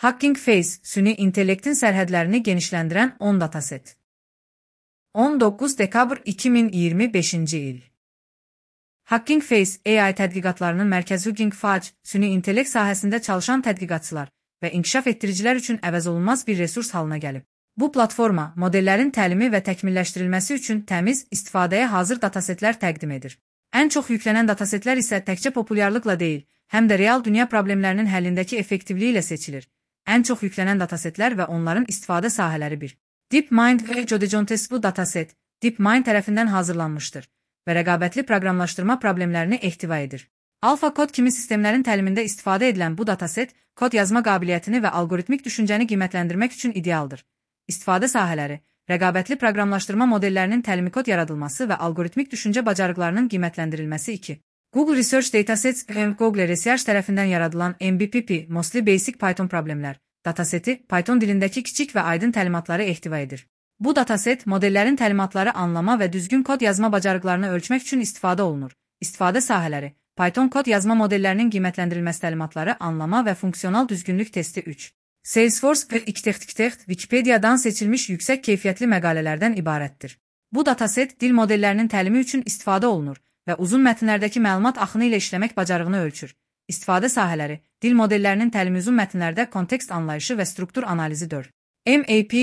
Hugging Face, süni intellektin sərhədlərini genişləndirən 10 dataset. 19 dekabr 2025-ci il. Hugging Face, AI tədqiqatlarının mərkəzi Hugging Face, süni intellekt sahəsində çalışan tədqiqatçılar və inkişaf etdiricilər üçün əvəzolunmaz bir resurs halına gəlib. Bu platforma, modellərin təlimi və təkmilləşdirilməsi üçün təmiz, istifadəyə hazır datasetlər təqdim edir. Ən çox yüklənən datasetlər isə təkcə populyarlıqla deyil, həm də real dünya problemlərinin həllindəki effektivliyi ilə seçilir. Ən çox yüklənən datasetlər və onların istifadə sahələri 1. DeepMind və Jodejontes bu dataset, DeepMind tərəfindən hazırlanmışdır və rəqabətli proqramlaşdırma problemlərini ehtiva edir. AlphaCode kimi sistemlərin təlimində istifadə edilən bu dataset, kod yazma qabiliyyətini və algoritmik düşüncəni qiymətləndirmək üçün idealdır. İstifadə sahələri, rəqabətli proqramlaşdırma modellərinin təlimi kod yaradılması və algoritmik düşüncə bacarıqlarının qiymətləndirilməsi 2. Google Research Datasets və Google Research tərəfindən yaradılan MBPP, Mostly Basic Python Problemlər dataseti Python dilindəki kiçik və aydın təlimatları ehtiva edir. Bu dataset, modellərin təlimatları anlama və düzgün kod yazma bacarıqlarını ölçmək üçün istifadə olunur. İstifadə sahələri, Python kod yazma modellərinin qiymətləndirilməsi təlimatları anlama və funksional düzgünlük testi 3. Salesforce və Xtext Wikipediadan seçilmiş yüksək keyfiyyətli məqalələrdən ibarətdir. Bu dataset, dil modellərinin təlimi üçün istifadə olunur və uzun mətnlərdəki məlumat axını ilə işləmək bacarığını ölçür. İstifadə sahələri, dil modellərinin təlimi uzun mətnlərdə kontekst anlayışı və struktur analizi 4. MAP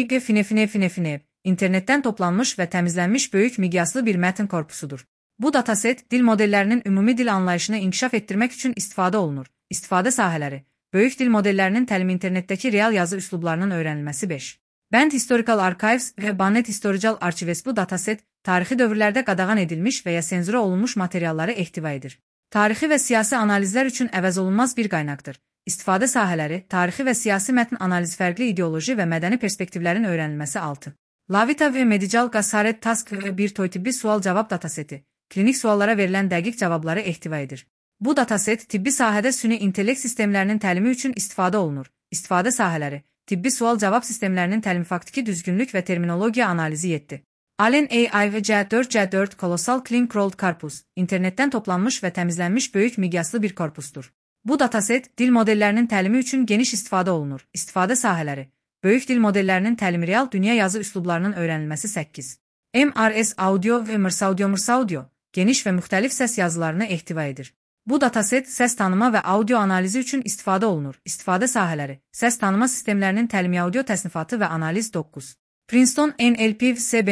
internetdən toplanmış və təmizlənmiş böyük miqyaslı bir mətn korpusudur. Bu dataset, dil modellərinin ümumi dil anlayışını inkişaf etdirmək üçün istifadə olunur. İstifadə sahələri, böyük dil modellərinin təlimi internetdəki real yazı üslublarının öyrənilməsi 5. Band Historical Archives və Bannet Historical Archives bu dataset, tarixi dövrlərdə qadağan edilmiş və ya senzura olunmuş materialları ehtiva edir. Tarixi və siyasi analizlər üçün əvəzolunmaz bir qaynaqdır. İstifadə sahələri, tarixi və siyasi mətn analizi fərqli ideoloji və mədəni perspektivlərin öyrənilməsi 6. Lavita və Medical Gasaret Task və bir toy-tibbi sual-cavab dataseti, klinik suallara verilən dəqiq cavabları ehtiva edir. Bu dataset, tibbi sahədə süni intellekt sistemlərinin təlimi üçün istifadə olunur. İstifadə sahələri, tibbi sual-cavab sistemlərinin təlimi faktiki düzgünlük və terminologiya analizi 7. Allen AI və C4 Colossal Clean Crawled Corpus, internetdən toplanmış və təmizlənmiş böyük miqyaslı bir korpusdur. Bu dataset, dil modellərinin təlimi üçün geniş istifadə olunur. İstifadə sahələri, böyük dil modellərinin təlimi real dünya yazı üslublarının öyrənilməsi 8. MRS Audio və Mrs Audio, geniş və müxtəlif səs yazılarını ehtiva edir. Bu dataset, səs tanıma və audio analizi üçün istifadə olunur. İstifadə sahələri, səs tanıma sistemlərinin təlimi audio təsnifatı və analiz 9. Princeton NLP-C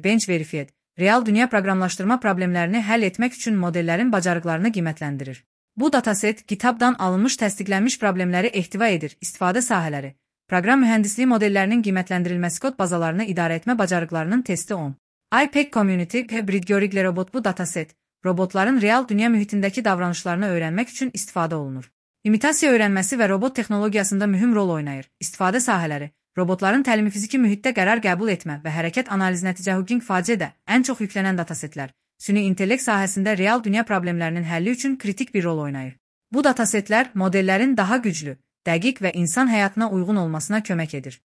Bench Verified, real dünya proqramlaşdırma problemlərini həll etmək üçün modellərin bacarıqlarını qiymətləndirir. Bu dataset, GitHub'dan alınmış təsdiqlənmiş problemləri ehtiva edir. İstifadə sahələri, proqram mühəndisliyi modellərinin qiymətləndirilməsi kod bazalarını idarə etmə bacarıqlarının testi 10. IPEC Community və Bridgorigler Robot bu dataset, robotların real dünya mühitindəki davranışlarını öyrənmək üçün istifadə olunur. İmitasiya öyrənməsi və robot texnologiyasında mühüm rol oynayır. İstifadə sahələri, robotların təlimi fiziki mühitdə qərar qəbul etmə və hərəkət analiz nəticə Hugging Face-də ən çox yüklənən datasetlər, süni intellekt sahəsində real dünya problemlərinin həlli üçün kritik bir rol oynayır. Bu datasetlər modellərin daha güclü, dəqiq və insan həyatına uyğun olmasına kömək edir.